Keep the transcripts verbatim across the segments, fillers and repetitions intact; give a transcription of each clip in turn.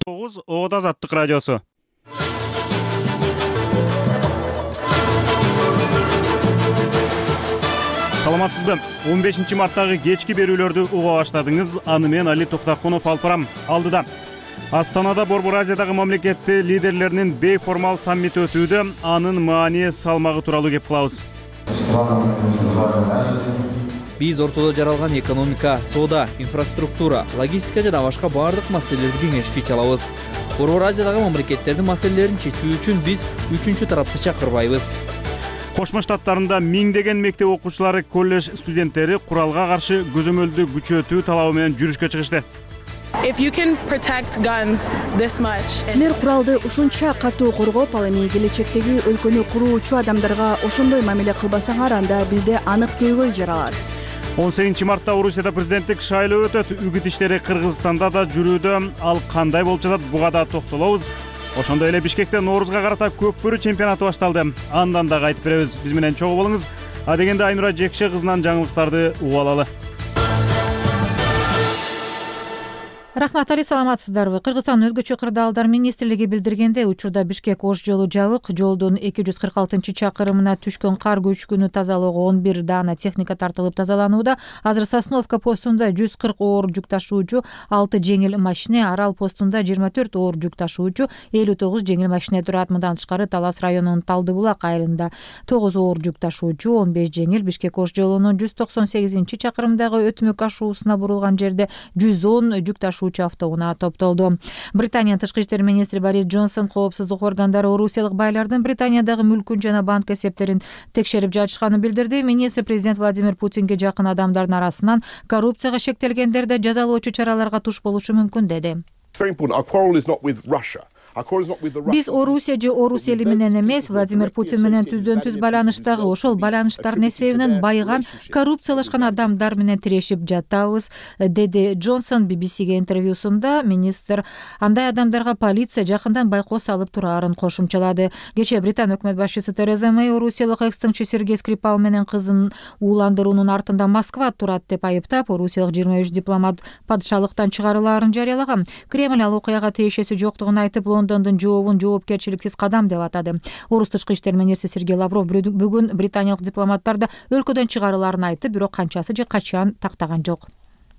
тогуз Оода Азаттык радиосу. Саламатсызбы? он бешинчи марттагы кечки берүүлөрдү уга баштадыңыз. Аны мен Али Токтакунов алып барам. Алдыда Астанада Борбор Азиядагы мамлекетти лидерлеринин бейформал саммити өтүүдө. Анын маани салмагы тууралуу кеп кылабыз. Биз ортодо жаралган экономика, соода, инфраструктура, логистика жана башка баардык маселелерди кеңешпей чалабыз. Борбор Азиядагы мамлекеттердин маселелерин чечүү үчүн биз үчүнчү тарапты чакырбайбыз. Кошмо Штаттарында миңдеген мектеп окуучулары, колледж студенттери куралга каршы көзөмөлдү күчөтүү талабы менен жүрүшкө чыгышты. Силер куралды ушунча катуу коргоп, ал эми келечектеги өлкөнү куруучу адамдарга ошондой мамиле кылбасаңар, анда бизде анык көйгөй жаралат. он сегизинчи мартта Орусияда президенттик шайлоо өтөт. Үгүт иштери Кыргызстанда да жүрүүдө. Ал кандай болуп жатат, буга да токтолобуз. Ошондой эле Бишкекте Ноорузга карата көкбөрү чемпионаты башталды. Андан дагы айтып беребиз. Биз менен чогуу болуңуз. Адегенде Айнура Жекше кызынан жаңылыктарды угуп алалы. Рахмат, Али, саламатсыздарбы? Кыргызстандын өзгөчө кырдаалдар министрлиги билдиргенде, учурда Бишкек Ош жолу жабык. Жолдун эки жүз кырк алтынчы чакырымына түшкөн кар көчкүнү тазалоого он бир даана техника тартылып тазаланууда. Азыр Сосновка постунда жүз кырк оор жүк ташуучу, алты жеңил машине, Арал постунда жыйырма төрт оор жүк ташуучу, элүү тогуз жеңил машине турат. Мындан тышкары Талас районунун Талдыбулак айылында тогуз оор жүк ташуучу, он беш жеңил, Бишкек Ош жолунун жүз токсон сегизинчи чакырымдагы өтмөк ашуусуна бурулган жерде жүз он жүк ташуучу автоунаа топтолду. Британиянын тышкы иштер министри Борис Джонсон коопсуздук органдары орусиялык байлардын Британиядагы мүлкүн жана банк эсептерин текшерип жатышканын билдирди. Министр президент Владимир Путинге жакын адамдардын арасынан коррупцияга шектелгендерди жазалоочу чараларга туш болушу мүмкүн деди. Биз Орусия же Орус эли менен эмес, Владимир Путин менен түздөн түз байланыштагы ошол байланыштардын эсебинен байыган, коррупциялашкан адамдар менен тирешип жатабыз, деди Джонсон би би сиге интервьюсунда. Министр андай адамдарга полиция жакындан байкоо салып турарын кошумчалады. Кечээ Британ өкмөт башчысы Тереза Мэй орусиялык экс-тыңчы Сергей Скрипал менен кызын ууландыруунун артында Москва турат деп айыптап, орусиялык жыйырма үч дипломат падышалыктан чыгарылаарын жарыялаган. Кремль ал окуяга тиешеси жоктугун айтып, Лондондун жообун жоопкерчиликсиз кадам деп атады. Орус тышкы иштер министри Сергей Лавров бүгүн британиялык дипломаттарды өлкөдөн чыгарылаарын айтты, бирок канчасы же качан тактаган жок.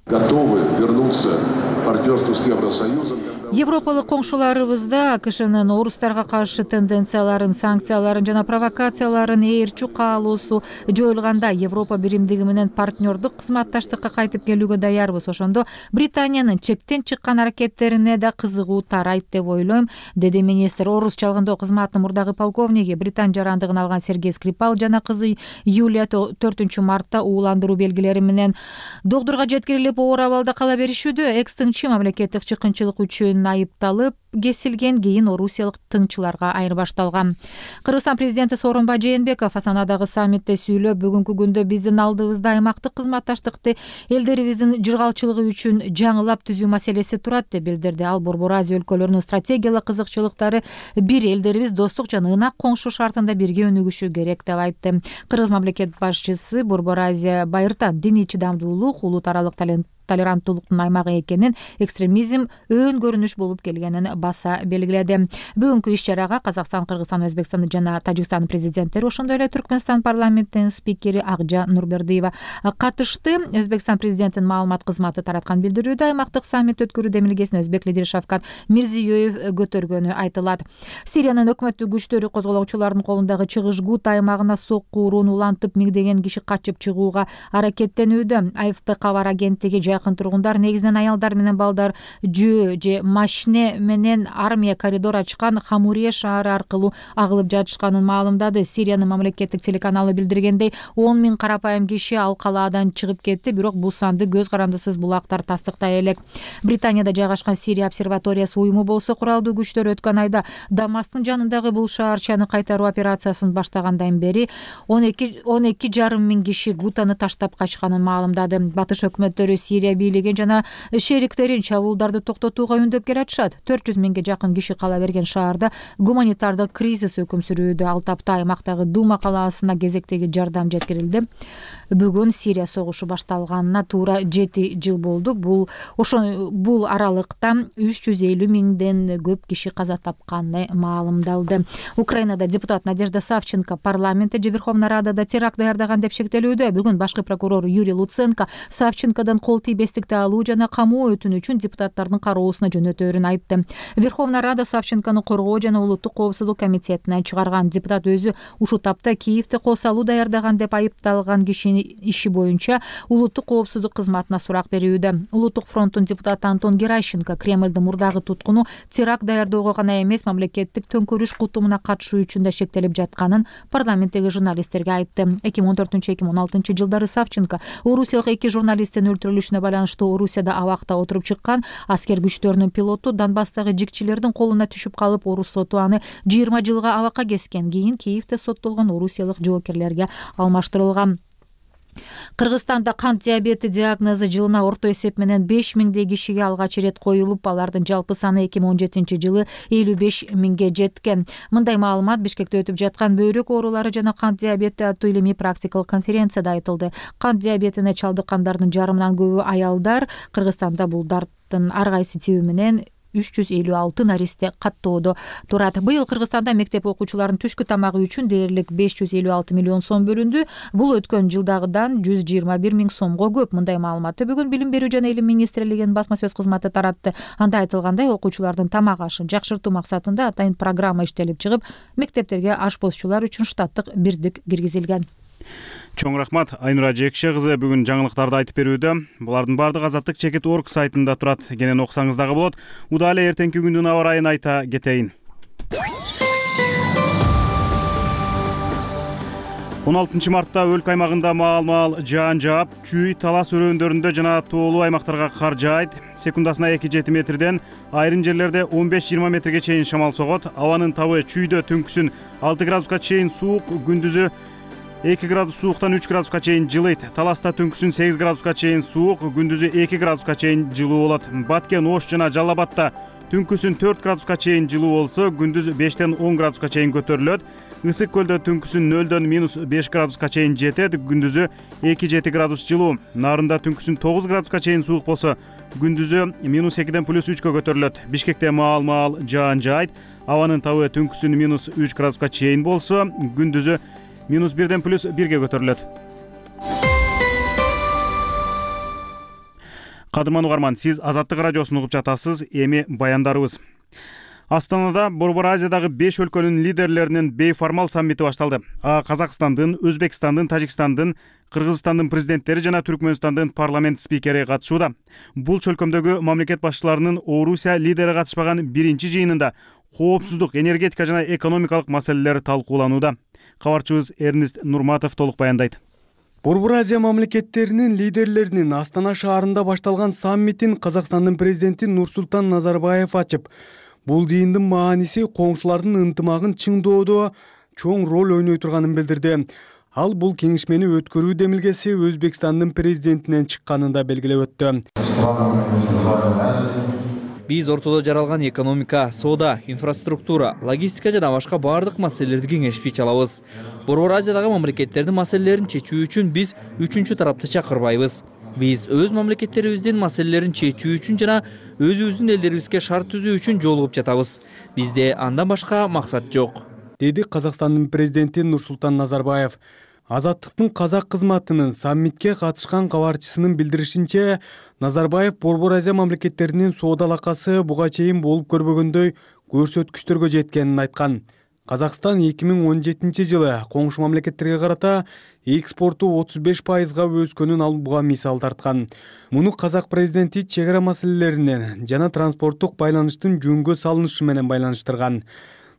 Готовы вернуться в партнерство с Евросоюзом. Европалык коңшуларыбызда АКШнын орустарга каршы тенденцияларын, санкцияларын жана провокацияларын ээрчү каалоосу жоюлганда Европа биримдиги менен партнердук кызматташтыкка кайтып келүүгө даярбыз. Ошондо Британиянын чектен чыккан аракеттерине да кызыгуу тарайт деп ойлойм, деди министр. Орус чалгындоо кызматынын мурдагы полковниги, Британ жарандыгын алган Сергей Скрипал жана кызы Юлия төртүнчү мартта ууландыруу белгилери менен докторго жеткирилип оор абалда кала беришүүдө. Экс-тыңчы мамлекеттик чыккынчылык үчүн айыпталып кесилген, кийин орусиялык тыңчыларга айырбашталган. Кыргызстан президенти Сооронбай Жээнбеков Астанадагы саммитте сүйлөп, бүгүнкү күндө биздин алдыбызда аймактык кызматташтыкты элдерибиздин жыргалчылыгы үчүн жаңылап түзүү маселеси турат деп билдирди. Ал Борбор Азия өлкөлөрүнүн стратегиялык кызыкчылыктары бир, элдерибиз достук жана ынак коңшу шартында бирге өнүгүшү керек деп айтты. Кыргыз мамлекет башчысы Борбор Азия байыртан диний чыдамдуулук, улут аралык толеранттуулуктун аймагы экенин, экстремизм өөн көрүнүш болуп келгенин баса белгиледи. Бүгүнкү иш-чарага Казакстан, Кыргызстан, Өзбекстан жана Тажикстан президенттери, ошондой эле Түркмөнстан парламентинин спикери Акжа Нурбердиева катышты. Өзбекстан президентинин маалымат кызматы тараткан билдирүүдө аймактык саммит өткөрүү демилгесин өзбек лидери Шавкат Мирзиёев көтөргөнү айтылат. Сириянын өкмөттүк күчтөрү козголоочулардын колундагы чыгыш Гут аймагына сокку урууну улантып, миңдеген киши качып чыгууга аракеттенүүдө. А Ф П кабар агенттиги жакын тургундар, негизинен аялдар менен балдар, жөө же машине менен армия коридор ачкан Хамурия шаары аркылуу агылып жатышканын маалымдады. Сириянын мамлекеттик телеканалы билдиргендей, он миң карапайым киши ал калаадан чыгып кетти, бирок бул санды көз карандысыз булактар тастыктай элек. Британияда жайгашкан Сирия обсерваториясы уюму болсо, куралдуу күчтөр өткөн айда Дамастын жанындагы бул шаарчаны кайтаруу операциясын баштагандан бери он эки жарым миң киши Гутаны таштап качканын маалымдады. Батыш өкмөттөрү Сирия Сирия бийлигин жана шериктерин чабуулдарды токтотууга үндөп келатышат. төрт жүз миңге жакын киши кала берген шаарда гуманитардык кризис өкүм сүрүүдө. Ал тапта аймактагы Дума калаасына кезектеги жардам жеткирилди. Бүгүн Сирия согушу башталганына туура жети жыл болду. Бул ошо бул аралыкта үч жүз элүү миңден көп киши каза тапканы маалымдалды. Украинада депутат Надежда Савченко парламентте же Верховная Радада теракт даярдаган деп шектелүүдө. Бүгүн башкы прокурор Юрий Луценко Савченкодан кол тийбестикти алуу жана камоо өтүнү үчүн депутаттардын кароосуна жөнөтөөрүн айтты. Верховная Рада Савченкону коргоо жана улуттук коопсуздук комитетине чыгарган. Депутат өзү ушул тапта Киевде кол салуу даярдаган деп айыпталган кишини иши боюнча улуттук коопсуздук кызматына сурак берүүдө. Улуттук фронттун депутаты Антон Геращенко Кремлдин мурдагы туткуну теракт даярдоого гана эмес, мамлекеттик төңкөрүш кутумуна катышуу үчүн да шектелип жатканын парламенттеги журналисттерге айтты. эки миң он төртүнчү эки миң он алтынчы жылдары Савченко Орусиялык эки журналисттин өлтүрүлүшүнө байланыштуу Орусияда абакта отуруп чыккан аскер күчтөрүнүн пилоту Донбасстагы жигчилердин колуна түшүп калып, орус соту аны жыйырма жылга абакка кескен. Кийин Киевде соттолгон орусиялык жоокерлерге алмаштырылган. Кыргызстанда кант диабети диагнозу жылына орто эсеп менен беш миңдей кишиге алгач ирет коюлуп, алардын жалпы саны эки миң он жетинчи жылы элүү беш миңге жеткен. Мындай маалымат Бишкекте өтүп жаткан бөйрөк оорулары жана кант диабети аттуу илимий практикалык конференцияда айтылды. Кант диабетине чалдыккандардын жарымынан көбү аялдар. Кыргызстанда бул дарттын ар кайсы тиби менен үч жүз элүү алты наристе каттоодо турат. Быйыл Кыргызстанда мектеп окуучуларынын түшкү тамагы үчүн дээрлик беш жүз элүү алты миллион сом бөлүндү. Бул өткөн жылдагыдан жүз жыйырма бир миң сомго көп. Мындай маалыматты бүгүн Билим берүү жана илим министрлигинин басма сөз кызматы таратты. Анда айтылгандай, окуучулардын тамак ашын жакшыртуу максатында атайын программа иштелип чыгып, мектептерге ашпозчулар үчүн штаттык бирдик киргизилген. Чоң рахмат. Айнура Жекше кызы бүгүн жаңылыктарды айтып берүүдө. Булардын баардыгы Азаттык чекит орг сайтында турат. Кенен окусаңыз дагы болот. Удаа эле эртеңки күндүн аба ырайын айта кетейин. он алтынчы мартта өлкө аймагында маал-маал жаан жаап, чүй талас өрөөндөрүндө жана тоолуу аймактарга кар жаайт. Секундасына эки жети метрден, айрым жерлерде он беш жыйырма метрге чейин шамал согот. Абанын табы чүйдө түнкүсүн алты градуска чейин суук, күндүзү эки градус сууктан үч градуска чейин жылыйт. Таласта түнкүсүн сегиз градуска чейин суук, күндүзү эки градуска чейин жылуу болот. Баткен, Ош жана Жалал Абадта түнкүсүн төрт градуска чейин жылуу болсо, күндүз бештен он градуска чейин көтөрүлөт. Ысык көлдө түнкүсүн нөлдөн минус беш градуска чейин жетет, күндүзү эки жети градус жылуу. Нарында түнкүсүн тогуз градуска чейин суук болсо, күндүзү минус экиден плюс үчкө көтөрүлөт. Бишкекте маал-маал жаан жаайт. Абанын табы түнкүсүн минус үч градуска чейин болсо, күндүзү минус бирден плюс бирге көтөрүлөт. Кадырман угарман, сиз Азаттык радиосун угуп жатасыз. Эми баяндарыбыз. Астанада Борбор Азиядагы беш өлкөнүн лидерлеринин бейформал саммити башталды. Казакстандын, Өзбекстандын, Тажикстандын, Кыргызстандын президенттери жана Түркмөнстандын парламент спикери катышууда. Бул чөлкөмдөгү мамлекет башчыларынын Орусия лидери катышпаган биринчи жыйынында коопсуздук, энергетика жана экономикалык маселелер талкууланууда. Кабарчыбыз Эрнест Нурматов толук баяндайт. Борбор Азия мамлекеттеринин лидерлеринин Астана шаарында башталган саммитин Казакстандын президенти Нурсултан Назарбаев ачып, бул жыйындын мааниси коңшулардын ынтымагын чыңдоодо чоң роль ойной турганын билдирди. Ал бул кеңешмени өткөрүү демилгеси Өзбекстандын президентинен чыкканын да белгилеп өттү. Биз ортодо жаралган экономика, соода, инфраструктура, логистика жана башка баардык маселелерди кеңешпей чалабыз. Борбор Азиядагы мамлекеттердин маселелерин чечүү үчүн биз үчүнчү тарапты чакырбайбыз. Биз өз мамлекеттерибиздин маселелерин чечүү үчүн жана өзүбүздүн элдерибизге шарт түзүү үчүн жолугуп жатабыз. Бизде андан башка максат жок, деди Казакстандын президенти Нурсултан Назарбаев. Азаттыктын казак кызматынын саммитке катышкан кабарчысынын билдиришинче, Назарбаев Борбор Азия мамлекеттеринин соода алакасы буга чейин болуп көрбөгөндөй көрсөткүчтөргө жеткенин айткан. Казакстан эки миң он жетинчи жылы коңшу мамлекеттерге карата экспорту отуз беш пайызга өскөнүн ал буга мисал тарткан. Муну казак президенти чек ара маселелеринен жана транспорттук байланыштын жөнгө салынышы менен байланыштырган.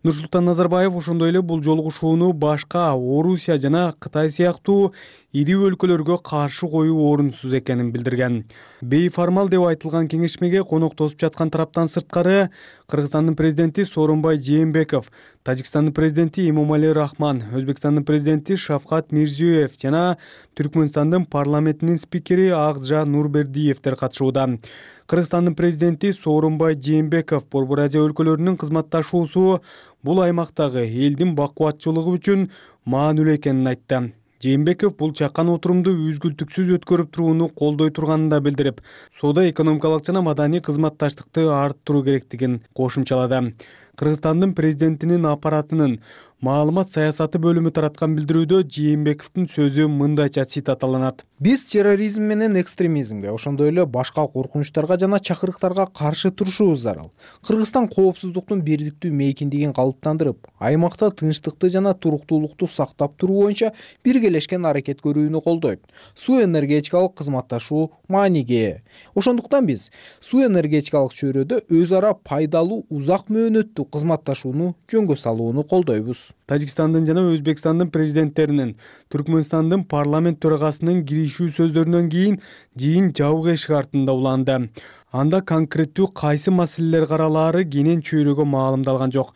Нурсултан Назарбаев ошондой эле бул жолугушууну башка Орусия жана Кытай сыяктуу ири өлкөлөргө каршы коюу орунсуз экенин билдирген. Бейформал деп айтылган кеңешмеге конок тосуп жаткан тараптан сырткары Кыргызстандын президенти Сооронбай Жээнбеков, Тажикстандын президенти Эмомали Рахман, Өзбекстандын президенти Шавкат Мирзиёев жана Түркмөнстандын парламентинин спикери Акжа Нурбердиевдер катышууда. Кыргызстандын президенти Сооронбай Жээнбеков Борбор Азия өлкөлөрүнүн кызматташуусу бул аймактагы элдин бакубатчылыгы үчүн маанилүү экенин айтты. Жээнбеков бул чакан отурумду үзгүлтүксүз өткөрүп турууну колдой турганын да билдирип, соода экономикалык жана маданий кызматташтыкты арттыруу керектигин кошумчалады. Кыргызстандын президентинин аппаратынын маалымат саясаты бөлүмү тараткан билдирүүдө Жээнбековдун сөзү мындайча цитаталанат. Биз терроризм менен экстремизмге, ошондой эле башка коркунучтарга жана чакырыктарга каршы турушубуз зарыл. Кыргызстан коопсуздуктун бирдиктүү мейкиндигин калыптандырып, аймакта тынчтыкты жана туруктуулукту сактап туруу боюнча биргелешкен аракет көрүүнү колдойт. Суу энергетикалык кызматташуу мааниге ээ. Ошондуктан биз суу энергетикалык чөйрөдө өз ара пайдалуу узак мөөнөттүү кызматташууну жөнгө салууну колдойбуз. Тажикстандын жана Өзбекстандын президенттеринин, Түркмөнстандын парламент төрагасынын киришүү сөздөрүнөн кийин жыйын жабык эшик артында уланды. Анда конкреттүү кайсы маселелер каралаары кенен чөйрөгө маалымдалган жок.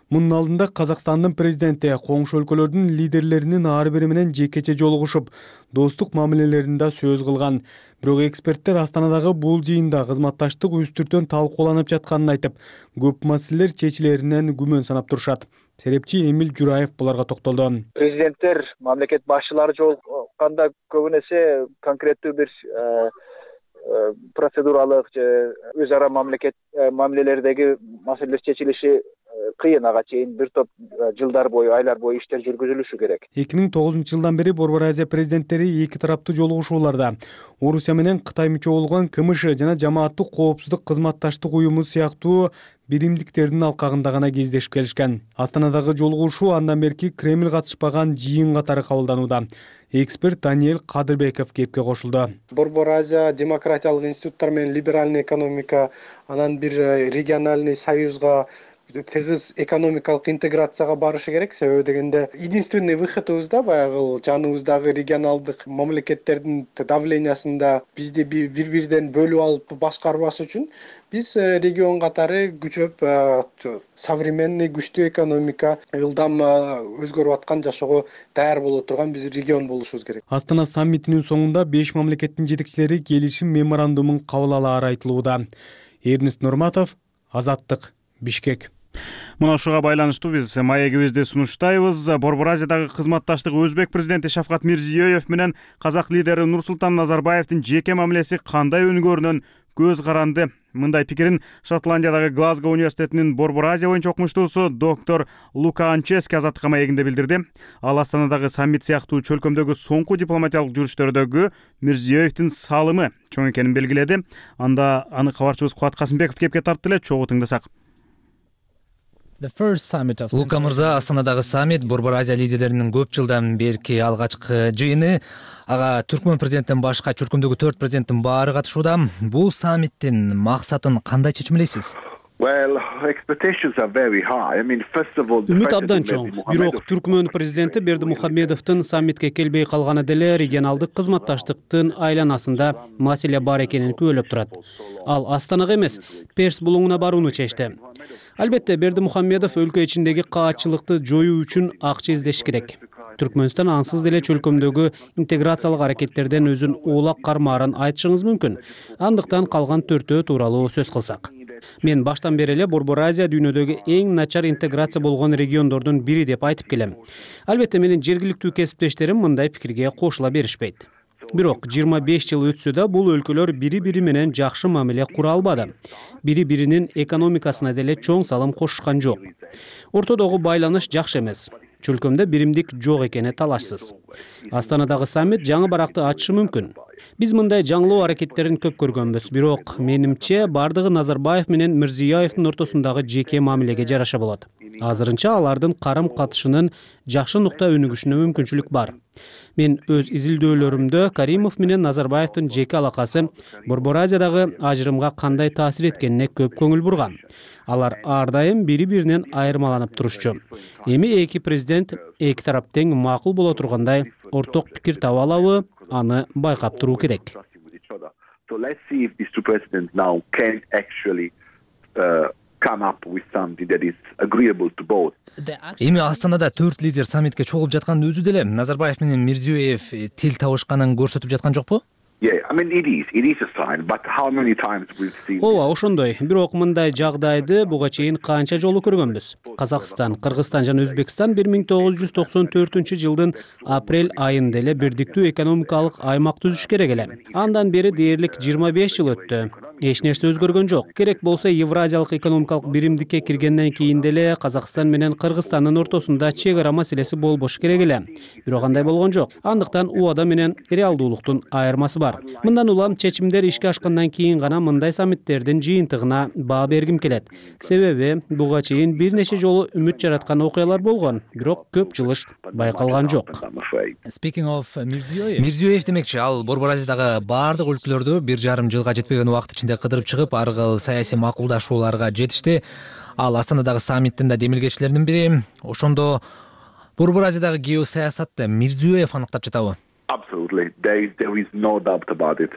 Мунун алдында Казакстандын президенти коңшу өлкөлөрдүн лидерлеринин ар бири менен жекече жолугушуп, достук мамилелерин да сөз кылган. Бирок эксперттер Астанадагы бул жыйында кызматташтык үстүртөн талкууланып жатканын айтып, көп маселелер чечилеринен күмөн санап турушат. Серепчи Эмил Жураев буларга токтолду. Президенттер, мамлекет башчылары жолукканда көбүн эсе конкреттүү бир процедуралык же өз ара мамлекет мамилелердеги маселелер чечилиши кыйын, ага чейин бир топ жылдар бою, айлар бою иштер жүргүзүлүшү керек. эки миң тогузунчу жылдан бери Борбор Азия президенттери эки тараптуу жолугушууларда Орусия менен Кытай мүчө болгон КМШ жана Жамааттык коопсуздук кызматташтык уюму сыяктуу биримдиктердин алкагында гана кездешип келишкен. Астанадагы жолугушуу андан берки Кремль катышпаган жыйын катары кабылданууда. Эксперт Даниэль Кадырбеков кепке кошулду. Борбор Азия демократиялык институттар менен либеральный экономика, анан бир региональный союзга, тыгыз экономикалык интеграцияга барышы керек. Себеби дегенде единственный выходубуз да баягы жаныбыздагы регионалдык мамлекеттердин давлениясында бизди бири-бириден бөлүп алып башкарбаш үчүн биз регион катары күчөп, современный күчтүү экономика, ылдам өзгөрүп аткан жашоого даяр боло турган биз регион болушубуз керек. Астана саммитинин соңунда беш мамлекеттин жетекчилери келишим меморандумун кабыл алаары айтылууда. Эрнест Нурматов, Азаттык, Бишкек. Мына ушуга байланыштуу биз маегибизди сунуштайбыз. Борбор Азиядагы кызматташтык Өзбек президенти Шавкат Мирзиёев менен казак лидери Нурсултан Назарбаевдин жеке мамилеси кандай өнүгөрүнөн көз каранды. Мындай пикирин Шотландиядагы Глазго университетинин Борбор Азия боюнча окумуштуусу доктор Лука Анчески Азаттыкка маегинде билдирди. Ал Астанадагы саммит сыяктуу чөлкөмдөгү соңку дипломатиялык жүрүштөрдөгү Мирзиёевдин салымы чоң экенин белгиледи. Анда аны кабарчыбыз Кубат Касымбеков кепке тартты эле, чогуу тыңдасак. Лука мырза, Астанадагы саммит Борбор Азия лидерлеринин көп жылдан берки алгачкы жыйыны. Ага Түркмөн президенттен башка чөлкөмдөгү төрт президенттин баары катышууда. Бул саммиттин максатын кандай чечмелейсиз? Үмүт абдан чоң. Бирок Түркмөн президенти Бердимухамедовдун саммитке келбей калганы деле регионалдык кызматташтыктын айланасында маселе бар экенин күбөлөп турат. Ал Астанага эмес, Перс булуңуна барууну чечти. Албетте, Бердимухамедов өлкө ичиндеги каатчылыкты жоюу үчүн акча издеш керек. Түркмөнстан ансыз деле чөлкөмдөгү интеграциялык аракеттерден өзүн оолак кармаарын айтышыңыз мүмкүн. Андыктан калган төртөө тууралуу сөз кылсак. Мен баштан бери эле Борбор Азия дүйнөдөгү эң начар интеграция болгон региондордун бири деп айтып келем. Албетте, менин жергиликтүү кесиптештерим мындай пикирге кошула беришпейт. Бирок жыйырма беш жыл өтсө да бул өлкөлөр бири-бири менен жакшы мамиле кура албады. Бири-биринин экономикасына деле чоң салым кошушкан жок. Ортодогу байланыш жакшы эмес. чөлкөмдө биримдик жок экени талашсыз. Астанадагы саммит жаңы баракты ачышы мүмкүн. Биз мындай жаңылоо аракеттерин көп көргөнбүз, бирок менимче бардыгы Назарбаев менен Мирзиёевдин ортосундагы жеке мамилеге жараша болот. Азырынча алардын карым-катышынын жакшы нукта өнүгүшүнө мүмкүнчүлүк бар. Мен өз изилдөөлөрүмдө Каримов менен Назарбаевдин жеке алакасы Борбор Азиядагы ажырымга кандай таасир эткенине көп көңүл бургам. Алар ар дайым бири-биринен айырмаланып турушчу. Эми эки президент эки тарап тең макул боло тургандай орток пикир таба алабы, аны байкап туруу керек. Эми Астанада төрт лидер саммитке чогулуп жаткандын өзү деле Назарбаев менен Мирзиёев тил табышканын көрсөтүп жаткан жокпу? Ооба, ошондой. Бирок мындай жагдайды буга чейин канча жолу көргөнбүз. Казакстан, Кыргызстан жана Өзбекстан бир миң тогуз жүз токсон төртүнчү жылдын апрель айында эле бирдиктүү экономикалык аймак түзүш керек эле. Андан бери дээрлик жыйырма беш жыл өттү. Эч нерсе өзгөргөн жок. Керек болсо Евразиялык экономикалык биримдикке киргенден кийин деле Казакстан менен Кыргызстандын ортосунда чек ара маселеси болбош керек эле. Бирок андай болгон жок. Андыктан убада менен реалдуулуктун айырмасы бар. Мындан улам чечимдер ишке ашкандан кийин гана мындай саммиттердин жыйынтыгына баа бергим келет. Себеби буга чейин бир нече жолу үмүт жараткан окуялар болгон, бирок көп жылыш байкалган жок. Мирзиёев демекчи, ал Борбор Азиядагы баардык өлкөлөрдү бир жарым жылга жетпеген убакыт ичинде кыдырып чыгып, ар кыл саясий макулдашууларга жетишти. Ал Астанадагы саммиттин да демилгечилеринин бири. Ошондо Борбор Азиядагы геосаясатты Мирзиёев аныктап жатабы? Absolutely. There is, there is no doubt about it.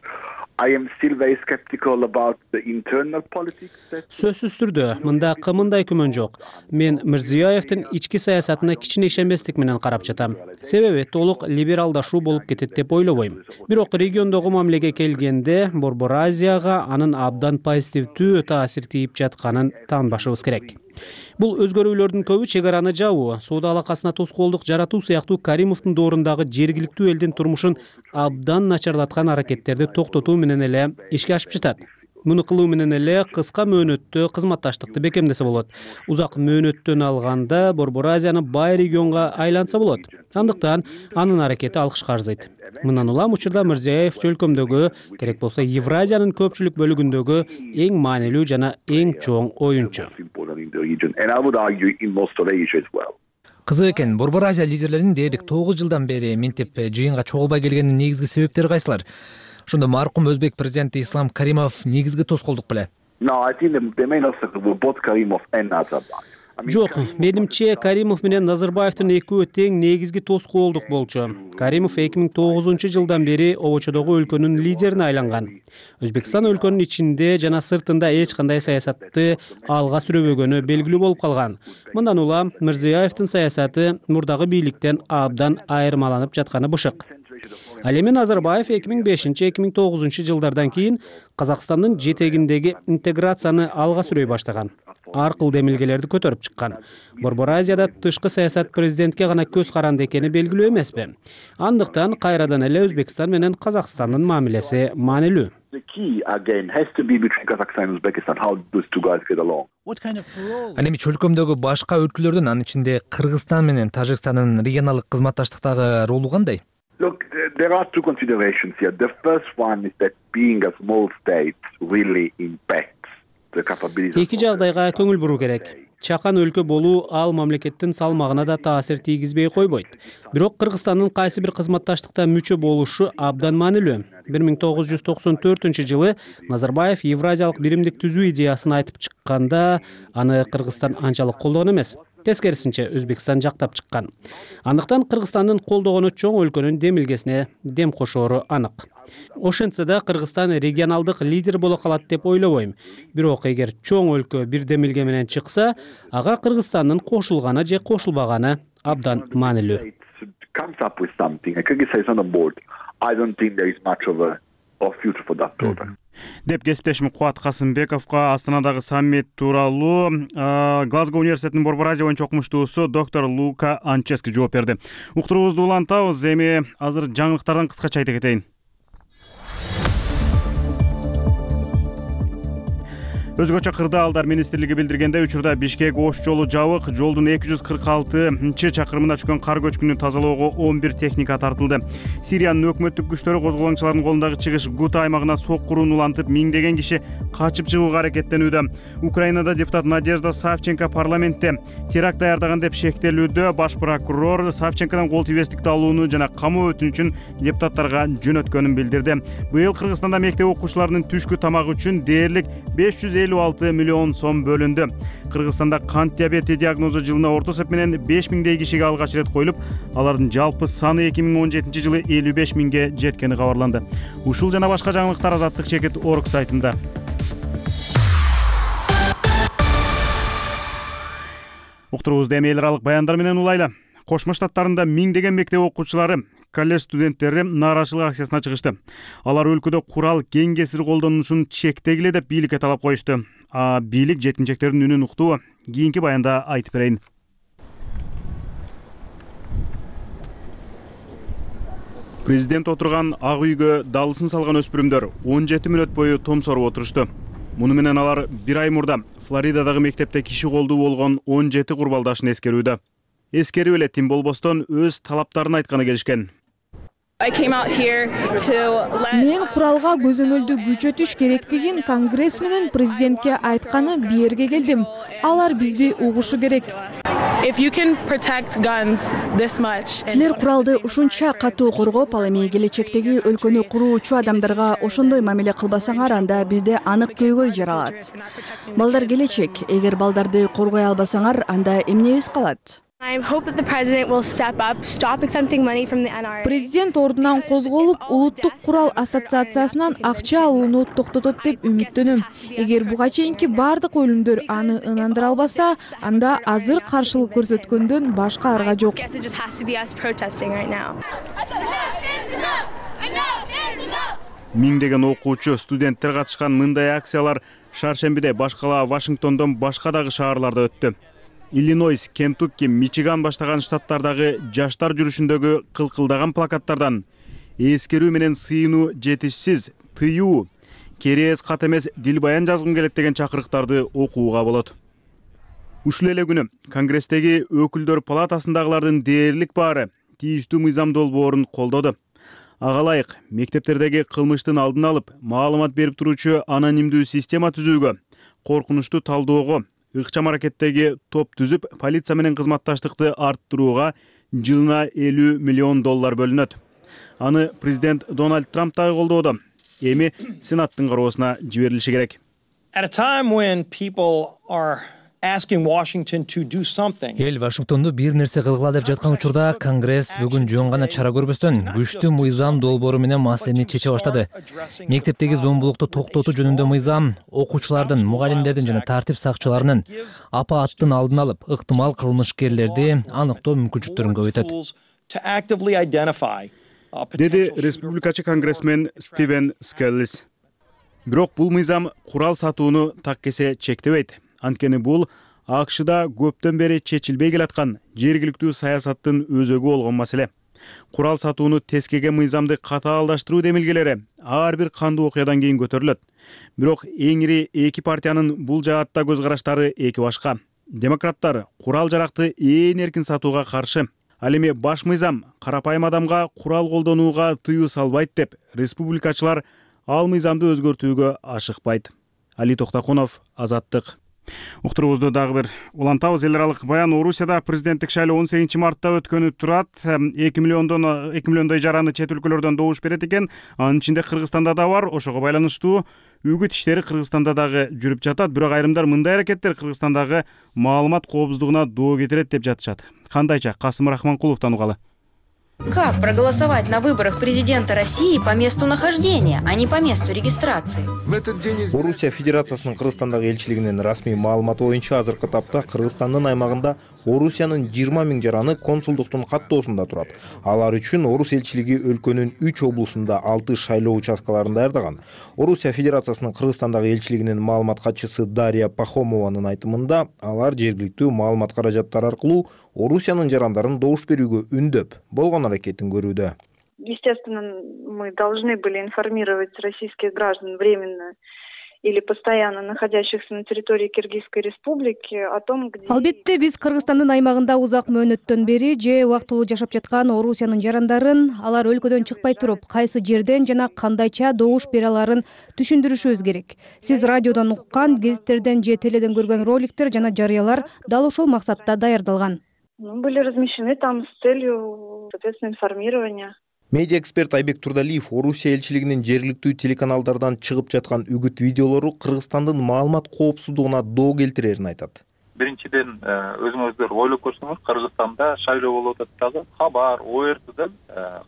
I am still very skeptical about the internal politics. Сөзсүз түрдө мында кымындай күмөн жок. Мен Мирзиёевдин ички саясатына кичине ишенбестик менен карап жатам. Себеби толук либералдашуу болуп кетет деп ойлобойм. Бирок региондогу мамилеге келгенде Борбор Азияга анын абдан позитивдүү таасир тийип жатканын таанбашыбыз керек. Бул өзгөрүүлөрдүн көбү чек араны жабуу, соода алакасына тоскоолдук жаратуу сыяктуу Каримовдун доорундагы жергиликтүү элдин турмушун абдан начарлаткан аракеттерди токтотуу менен эле ишке ашып жатат. Муну кылуу менен эле кыска мөөнөттө кызматташтыкты бекемдесе болот. Узак мөөнөттөн алганда Борбор Азияны бай регионго айлантса болот. Андыктан анын аракети алкышка арзыйт. Мындан улам учурда Мирзиёев чөлкөмдөгү, керек болсо Евразиянын көпчүлүк бөлүгүндөгү эң маанилүү жана эң чоң оюнчу. Кызык экен, Борбор Азия лидерлеринин дээрлик тогуз жылдан бери минтип жыйынга чогулбай келгенин негизги себептери кайсылар? Ошондо маркум Өзбек президенти Ислам Каримов негизги тоскоолдук беле? Жок, менимче Каримов менен Назарбаевдин экөө тең негизги тоскоолдук болчу. Каримов эки миң тогузунчу жылдан бери обочодогу өлкөнүн лидерине айланган. Өзбекстан өлкөнүн ичинде жана сыртында эч кандай саясатты алга сүрөбөгөнү белгилүү болуп калган. Мындан улам Мирзиёевдин саясаты мурдагы бийликтен абдан айырмаланып жатканы бышык. Ал эми Назарбаев эки миң бешинчи эки миң тогузунчу жылдардан кийин Казакстандын жетегиндеги интеграцияны алга сүрөй баштаган. Ар кыл демилгелерди көтөрүп чыккан. Борбор Азияда тышкы саясат президентке гана көз каранды экени белгилүү эмеспи? Андыктан кайрадан эле Өзбекстан менен Казакстандын мамилеси маанилүү. Ал эми чөлкөмдөгү башка өлкөлөрдүн, анын ичинде Кыргызстан менен Тажикстандын регионалдык кызматташтыктагы ролу кандай? Look, there are two considerations here. The first one is that being a small state really impacts the capability. Эки жагдайга көңүл буруу керек. Чакан өлкө болуу ал мамлекеттин салмагына да таасир тийгизбей койбойт. Бирок Кыргызстандын кайсы бир кызматташтыкта мүчө болушу абдан маанилүү. бир миң тогуз жүз токсон төртүнчү жылы Назарбаев Евразиялык биримдик түзүү идеясын айтып чыкканда, аны Кыргызстан анчалык колдогон эмес. Тескерисинче Өзбекстан жактап чыккан. Андыктан Кыргызстандын колдогону чоң өлкөнүн демилгесине дем кошоору анык. Ошентсе да Кыргызстан регионалдык лидер боло калат деп ойлобойм. Бирок эгер чоң өлкө бир демилге менен чыкса, ага Кыргызстандын кошулганы же кошулбаганы абдан маанилүү. Деп кесиптешим Кубат Касымбековго Астанадагы саммит тууралуу Глазго университетинин Борбор Азия боюнча окумуштуусу доктор Лука Анчески жооп берди. Уктуруубузду улантабыз, эми азыр жаңылыктардан кыскача айта кетейин. Өзгөчө кырдаалдар министрлиги билдиргендей, учурда Бишкек Ош жолу жабык, жолдун эки жүз кырк алтынчы чакырымына түшкөн кар көчкүнү тазалоого он бир техника тартылды. Сириянын өкмөттүк күчтөрү козголоңчулардын колундагы чыгыш Гута аймагына соккурууну улантып, миңдеген киши качып чыгууга аракеттенүүдө. Украинада депутат Надежда Савченко парламентте теракт даярдаган деп шектелүүдө. Баш прокурор Савченкодон кол тийбестикти алууну жана камоо өтүнүчүн депутаттарга жөнөткөнүн билдирди. Быйыл Кыргызстанда мектеп окуучуларынын түшкү тамагы үчүн дээрлик беш жүз элүү алты миллион сом бөлүндү. Кыргызстанда кант диабети диагнозу жылына орто эсеп менен беш миңдей кишиге алгач ирет коюлуп, алардын жалпы саны эки миң он жетинчи жылы элүү беш миңге жеткени кабарланды. Ушул жана башка жаңылыктар Азаттык чекит орг сайтында. Уктуруубузду эми эл аралык баяндар менен улайлы. Кошмо Штаттарында миңдеген мектеп окуучулары, колледж студенттери нааразычылык акциясына чыгышты. Алар өлкөдө курал кең кесир колдонулушун чектегиле деп бийликке талап коюшту. А бийлик жеткинчектердин үнүн уктуу. Кийинки баянда айтып берейин. Президент отурган ак үйгө далысын салган өспүрүмдөр он жети мүнөт бою томсоруп отурушту. Муну менен алар бир ай мурда Флоридадагы мектепте киши колдуу болгон он жети курбалдашын эскерүүдө. Эскерип эле тим болбостон өз талаптарын айтканы келишкен. Мен куралга көзөмөлдү күчөтүш керектигин Конгресс менен президентке айтканы биерге келдим. Алар бизди угушу керек. Силер куралды ушунча катуу коргоп, ал эми келечектеги өлкөнү куруучу адамдарга ошондой мамиле кылбасаңар, анда бизде анык көйгөй жаралат. Балдар келечек. Эгер балдарды коргой албасаңар, анда эмнебиз калат? Президент ордунан козголуп, улуттук курал ассоциациясынан акча алууну токтотот деп үмүттөнөм. Эгер буга чейинки бардык өлүмдөр аны ынандыра албаса, анда азыр каршылык көрсөткөндөн башка арга жок. Миңдеген окуучу, студенттер катышкан мындай акциялар шаршембиде башкала Вашингтондон башка дагы шаарларда өттү. Иллинойс, Кентукки, Мичиган баштаган штаттардагы жаштар жүрүшүндөгү кылкылдаган плакаттардан эскерүү менен сыйынуу жетишсиз, тыюу, керээс кат эмес дил баян жазгым келет деген чакырыктарды окууга болот. Ушул эле күнү Конгресстеги өкүлдөр палатасындагылардын дээрлик баары тийиштүү мыйзам долбоорун колдоду. Ага ылайык мектептердеги кылмыштын алдын алып, маалымат берип туруучу анонимдүү система түзүүгө, коркунучту талдоого, ыкчам аракеттеги топ түзүп, полиция менен кызматташтыкты арттырууга жылына элүү миллион доллар бөлүнөт. Аны президент Дональд Трамп дагы колдоодо. Эми Сенаттын кароосуна жиберилиши керек. Эл Вашингтонду бир нерсе кылгыла деп жаткан учурда Конгресс бүгүн жөн гана чара көрбөстөн күчтүү мыйзам долбоору менен маселени чече баштады. Мектептеги зомбулукту токтотуу жөнүндө мыйзам окуучулардын, мугалимдердин жана тартип сакчыларынын апааттын алдын алып, ыктымал кылмышкерлерди аныктоо мүмкүнчүлүктөрүн көбөйтөт. Деди республикачы конгрессмен Стивен Скеллис. Бирок бул мыйзам курал сатууну так кесе чектебейт. Анткени бул АКШда көптөн бери чечилбей келаткан жергиликтүү саясаттын өзөгү болгон маселе. Курал сатууну тескеге мыйзамды катаалдаштыруу демилгелери ар бир кандуу окуядан кийин көтөрүлөт. Бирок эң ири эки партиянын бул жаатта көз караштары эки башка. Демократтар курал жаракты ээн эркин сатууга каршы. Ал эми баш мыйзам карапайым адамга курал колдонууга тыюу салбайт деп, республикачылар ал мыйзамды өзгөртүүгө ашыкпайт. Али Токтокунов, Азаттык. Уктуруубузду дагы бир улантабыз. Эл аралык баян. Орусияда президенттик шайлоо он сегизинчи мартта өткөнү турат. эки миллиондон эки миллиондой жараны чет өлкөлөрдөн добуш берет экен. Анын ичинде Кыргызстанда да бар. Ошого байланыштуу үгүт иштери Кыргызстанда дагы жүрүп жатат. Бирок айрымдар мындай аракеттер Кыргызстандагы маалымат коопсуздугуна доо кетирет деп жатышат. Кандайча? Касым Рахманкуловдон угалы. Как проголосовать на выборах президента России по месту нахождения, а не по месту регистрации? Орусия Федерациясынын Кыргызстандагы элчилигинин расмий маалыматы боюнча азыркы тапта Кыргызстандын аймагында Орусиянын жыйырма миң жараны консулдуктун каттоосунда турат. Алар үчүн Орус элчилиги өлкөнүн үч облусунда алты шайлоо участкаларын даярдаган. Орусия Федерациясынын Кыргызстандагы элчилигинин маалымат катчысы Дарья Пахомованын айтымында, алар жергиликтүү маалымат каражаттары аркылуу Орусиянын жарандарын добуш берүүгө үндөп болгон аракетин көрүүдө. Естественно, мы должны были информировать российских граждан временно или постоянно находящихся на территории Киргизской республики о том, где... Албетте биз Кыргызстандын аймагында узак мөөнөттөн бери же убактылуу жашап жаткан Орусиянын жарандарын алар өлкөдөн чыкпай туруп кайсы жерден жана кандайча добуш бере аларын түшүндүрүшүбүз керек. Сиз радиодон уккан, гезиттерден же теледен көргөн роликтер жана жарыялар дал ошол максатта даярдалган. Ну, были размещены там с целью, соответственно, информирования. Медиа эксперт Айбек Турдалиев Орусия элчилигинин жергиликтүү телеканалдардан чыгып жаткан үгүт видеолору Кыргызстандын маалымат коопсуздугуна доо келтирерин айтат. Биринчиден өзүңүздөр ойлоп көрсөңүз, Кыргызстанда шайлоо болуп атат дагы. Хабар, О Р Т'дан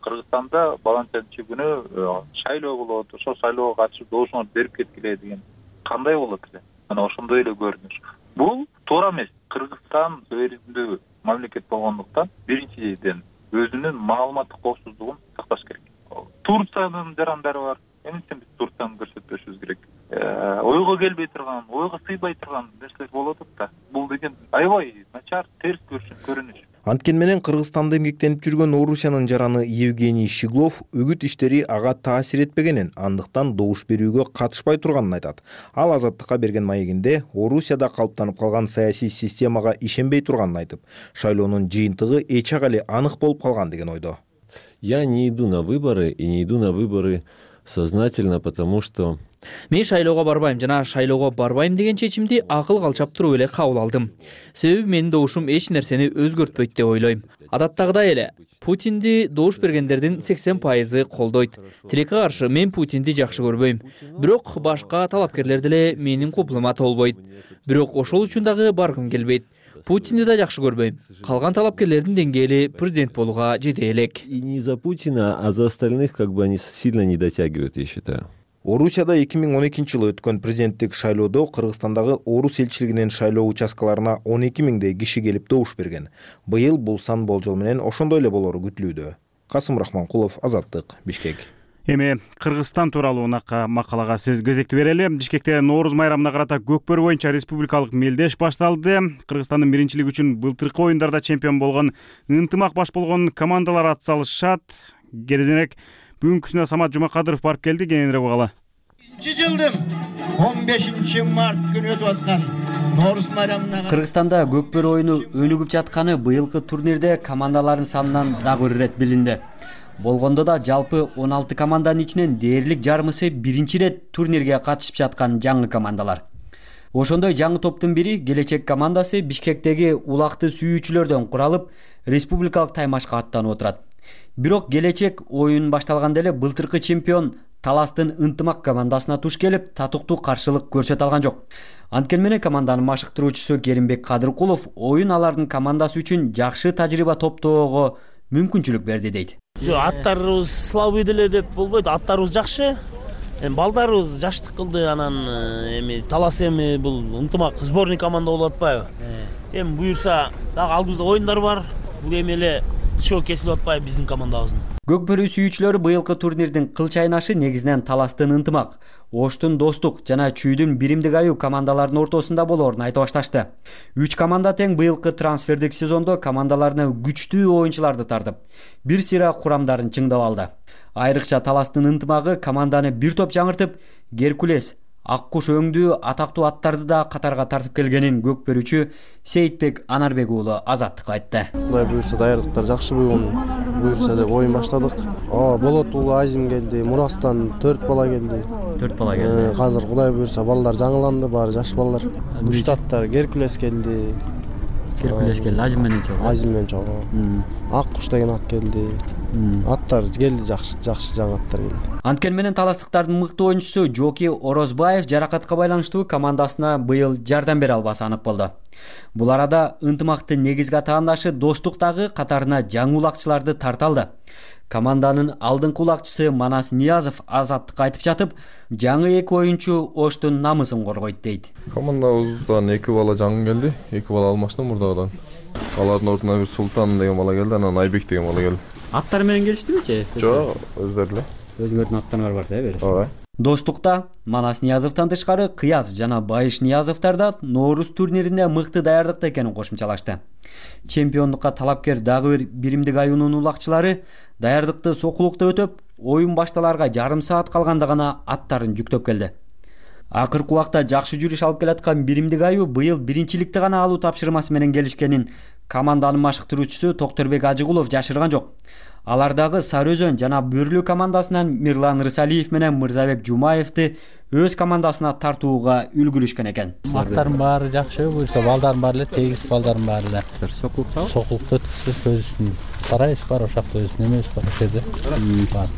Кыргызстанда баланчанчы күнү шайлоо болот, ошол шайлоого катышып добушуңарды берип кеткиле деген кандай болот эле? Мына ошондой эле көрүнүш. Бул туура эмес. Кыргызстан суверендүү мамлекет болгондуктан биринчиден өзүнүн маалыматтык коопсуздугун сакташ керек. Турциянын жарандары бар. Эмнестен биз Турцияны көрсөтпөшүбүз керек? Ойго келбей турган, ойго сыйбай турган нерселер болуп атат да. Бул деген аябай начар, терс көрүнүш. Анткени менен Кыргызстанда эмгектенип жүргөн Орусиянын жараны Евгений Щеглов үгүт иштери ага таасир этпегенин, андыктан добуш берүүгө катышпай турганын айтат. Ал Азаттыкка берген маегинде Орусияда калыптанып калган саясий системага ишенбей турганын айтып, шайлоонун жыйынтыгы эч ак эле анык болуп калган деген ойдо. Я не иду на выборы и не иду на выборы сознательно, потому что Мен шайлоого барбайм жана шайлоого барбайм деген чечимди акыл калчап туруп эле кабыл алдым. Себеби менин добушум эч нерсени өзгөртпөйт деп ойлойм. Адаттагыдай эле Путинди добуш бергендердин сексен пайызы колдойт. Тилекке каршы мен Путинди жакшы көрбөйм. Бирок башка талапкерлер деле менин купулума толбойт. Бирок ошол үчүн дагы баргым келбейт. Путинди да жакшы көрбөйм. Калган талапкерлердин деңгээли президент болууга жете элек. И не за Путина, а за остальных как бы они сильно не дотягивают, я считаю. Орусияда эки миң он экинчи жылы өткөн президенттик шайлоодо Кыргызстандагы орус элчилигинин шайлоо участкаларына он эки миңдей киши келип добуш берген. Быйыл бул сан болжол менен ошондой эле болору күтүлүүдө. Касым Рахманкулов, Азаттык, Бишкек. Эми Кыргызстан тууралуу унака макалага сиз кезекти берели. Бишкекте Нооруз майрамына карата көкбөрү боюнча республикалык мелдеш башталды. Кыргызстандын биринчилиги үчүн былтыркы оюндарда чемпион болгон ынтымак баш болгон командалар ат салышат. Керезенек бүгүнкүсүнө Самат Жумакадыров барып келди, кененирээк угалы. Жылдын он бешинчи март күнү өтүп аткан Нооруз майрамына Кыргызстанда көкбөрү оюну өнүгүп жатканы быйылкы турнирде командалардын санынан дагы бир ирет билинди. Болгондо да жалпы он алты команданын ичинен дээрлик жарымысы биринчи ирет турнирге катышып жаткан жаңы командалар. Ошондой жаңы топтун бири Келечек командасы Бишкектеги улакты сүйүүчүлөрдөн куралып, республикалык таймашка аттанып отурат. Бирок Келечек оюн башталганда эле былтыркы чемпион Таластын ынтымак командасына туш келип, татыктуу каршылык көрсөтө алган жок. Анткени менен команданын машыктыруучусу Керимбек Кадыркулов оюн алардын командасы үчүн жакшы тажрыйба топтоого мүмкүнчүлүк берди дейт. Жок, аттарыбыз слабый деле деп болбойт, аттарыбыз жакшы. Эми балдарыбыз жаштык кылды, анан эми Талас эми бул ынтымак сборный команда болуп атпайбы? Эми буюрса дагы алдыбызда оюндар бар. Бул эми эле шоу кесилип атпайбы биздин командабыздын. Көкбөрү сүйүүчүлөрү быйылкы турнирдин кыл чайнашы негизинен Таластын ынтымак, Оштун Достук жана Чүйдүн Биримдик аюу командаларынын ортосунда болоорун айтып башташты. Үч команда тең быйылкы трансфердик сезондо командаларына күчтүү оюнчуларды тартып, бир сыйра курамдарын чыңдап алды. Айрыкча Таластын ынтымагы команданы бир топ жаңыртып, Геркулес, Аккуш өңдүү атактуу аттарды да катарга тартып келгенин көкбөрүчү Сейитбек Анарбек уулу Азаттыкка айтты. Кудай буюрса даярдыктар жакшы болгон. Буюрса деп оюн баштадык. Ооба, Болот уулу Азим келди, Мурастан төрт бала келди. төрт бала келди. Азыр Кудай буюрса балдар жаңыланды, баары жаш балдар. Буштаттар Геркулес келди. Геркулес келди, Азим менен чогуу. Азим менен чогуу. Аккуш деген ат келди. Аттар келди, жакшы, жакшы жаңы аттар келди. Анткени менен таластыктардын мыкты оюнчусу Жоки Орозбаев жаракатка байланыштуу командасына быйыл жардам бере албасы анык болду. Бул арада ынтымактын негизги атаандашы Достук дагы катарына жаңы улакчыларды тарта алды. Команданын алдыңкы улакчысы Манас Ниязов Азаттыкка айтып жатып, жаңы эки оюнчу Оштун намысын коргойт дейт. Командабыздан эки бала жаңы келди, эки бала алмаштан мурдагыдан. Алардын ордуна бир Султан деген бала келди, анан Айбек деген бала келди. Аттары менен келиштибичи? Жок, өздөрү эле. Өзүңөрдүн аттарыңар бар да, бери. Ооба. Достукта Манас Ниязовдон тышкары Кыяз жана Байыш Ниязовдор да Нооруз турниринде мыкты даярдыкта экенин кошумчалашты. Чемпиондукка талапкер дагы бир Биримдик аюунун улакчылары даярдыкты сокулукта өтөп, оюн башталарга жарым саат калганда гана аттарын жүктөп келди. акыркы убакта жакшы жүрүш алып келаткан биримдик аюу быйыл биринчиликти гана алуу тапшырмасы менен келишкенин команданын машыктыруучусу Токторбек Ажыгулов жашырган жок. Алар дагы Сары Өзөн жана Бөрлүү командасынан Мирлан Рысалиев менен Мырзабек Жумаевди өз командасына тартууга үлгүрүшкөн экен. Аттардын баары жакшы, буюрса балдардын баары эле тегиз, балдардын баары эле. Сокулуктабы? Сокулукта өткүзүп көзүн карайбыз, бар ошакта өзү немебиз бар ошерде.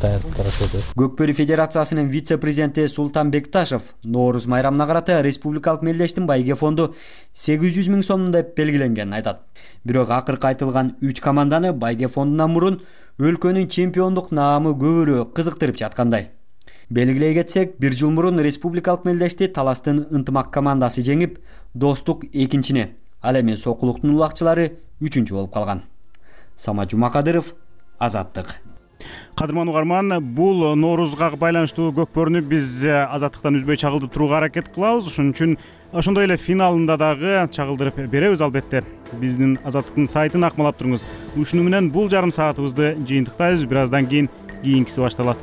Даярдык бар ошерде. Көкбөрү Федерациясынын вице-президенти Султан Бекташев Нооруз майрамына карата республикалык мелдештин байге фонду сегиз жүз миң сом деп белгиленгенин айтат. Бирок акыркы айтылган үч команданы байге фондунан мурун өлкөнүн чемпиондук наамы көбүрөөк кызыктырып жаткандай. Белгилей кетсек, бир жыл мурун республикалык мелдешти Таластын Ынтымак командасы жеңип, Достук экинчине, ал эми Сокулуктун улакчылары үчүнчү болуп калган. Сама Жумакадыров, Азаттык. Кадырман угарман, бул Ноорузга байланыштуу көкбөрүнү биз Азаттыктан үзбөй чагылдырып турууга аракет кылабыз. Ошон үчүн ошондой эле финалында дагы чагылдырып беребиз албетте. Биздин Азаттыктын сайтын акмалап туруңуз. Ушуну менен бул жарым саатыбызды жыйынтыктайбыз. Бир аздан кийин кийинкиси башталат.